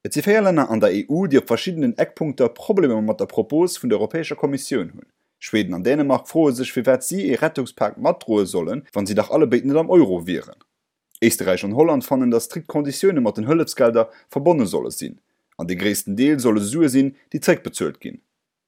Et si 4 Länner an der EU, déi op verschiddenen Eckpunkter Problemer mat der Propos vun der Europäescher Kommissioun hunn. Schweden an Dänemark froe sech firwat si ee Rettungspak matdroe sollen, wann si dach allebéid net am Euro wieren. Éisterräich an Holland fannen, datt strikt Konditioune mat den Hëllefsgelder verbonne solle sinn. An dee gréissten Deel solle Sue sinn, déi zréckbezuelt ginn.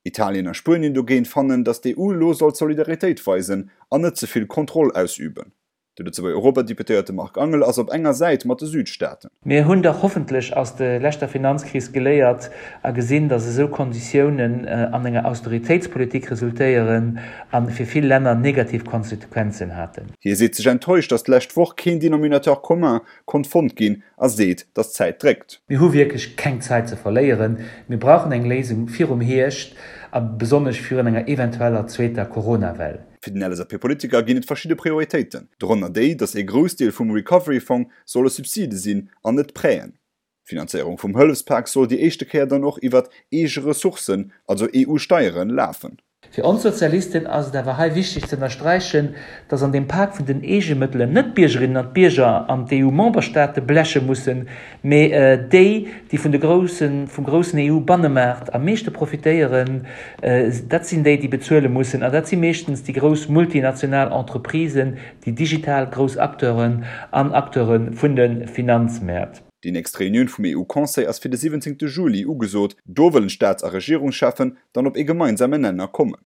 Italien a Spuenien dogéint fannen, datt d'EU elo sollt Solidaritéit weisen an net ze vill Kontroll ausüben. De Lëtzebuerger Europadeputéierte Marc Angel ass op enger Säit mat de Südstaaten. Mir hunn dach hoffentlech aus de leschter Finanzkris geléiert a gesinn, datt esou Konditiounen an enger Austeritéitspolitik resultéieren a fir vill Länner negativ Konsequenzen haten. Hie seet sech enttäuscht, datt d'lescht Woch keen Denominateur commun konnt fonnt ginn a seet, datt d'Zäit dréckt. Mir hu wierklech keng Zäit ze verléieren. Mir brauchen eng Léisung virum Hierscht a besonnesch virun enger eventueller zweeter Coronawell. Fir den LSAP-Politiker ginn et verschidde Prioritéiten, dorënner déi, datt ee Groussdeel vum Recovery-Fong solle Subside sinn an net Prêten. D'Finanzéierung vum Hëllefspak soll déi éischte Kéier dann och iwwert eege Ressourcen, also EU-Steieren, lafen. Fir ons Sozialisten ass et awer hei wichteg ze ënnersträichen, datt an deem Pak vun den Eegemëttelen net d'Biergerinnen an d'Bierger an d'EU-Memberstaate bleche mussen, mee déi, déi vun de groussen, vum groussen EU-Bannemaart am meeschte profitéieren, dat sinn déi, déi bezuele mussen. An dat si meeschtens déi grouss multinational Entreprisen, déi digital grouss Acteuren an Acteure vun de Finanzmäert. Déi nächst Reunioun vum EU-Conseil ass fir de 17 Juli ugesot. Do wëllen d'Staats a Regierungscheffen dann op ee gemeinsame Nenner kommen.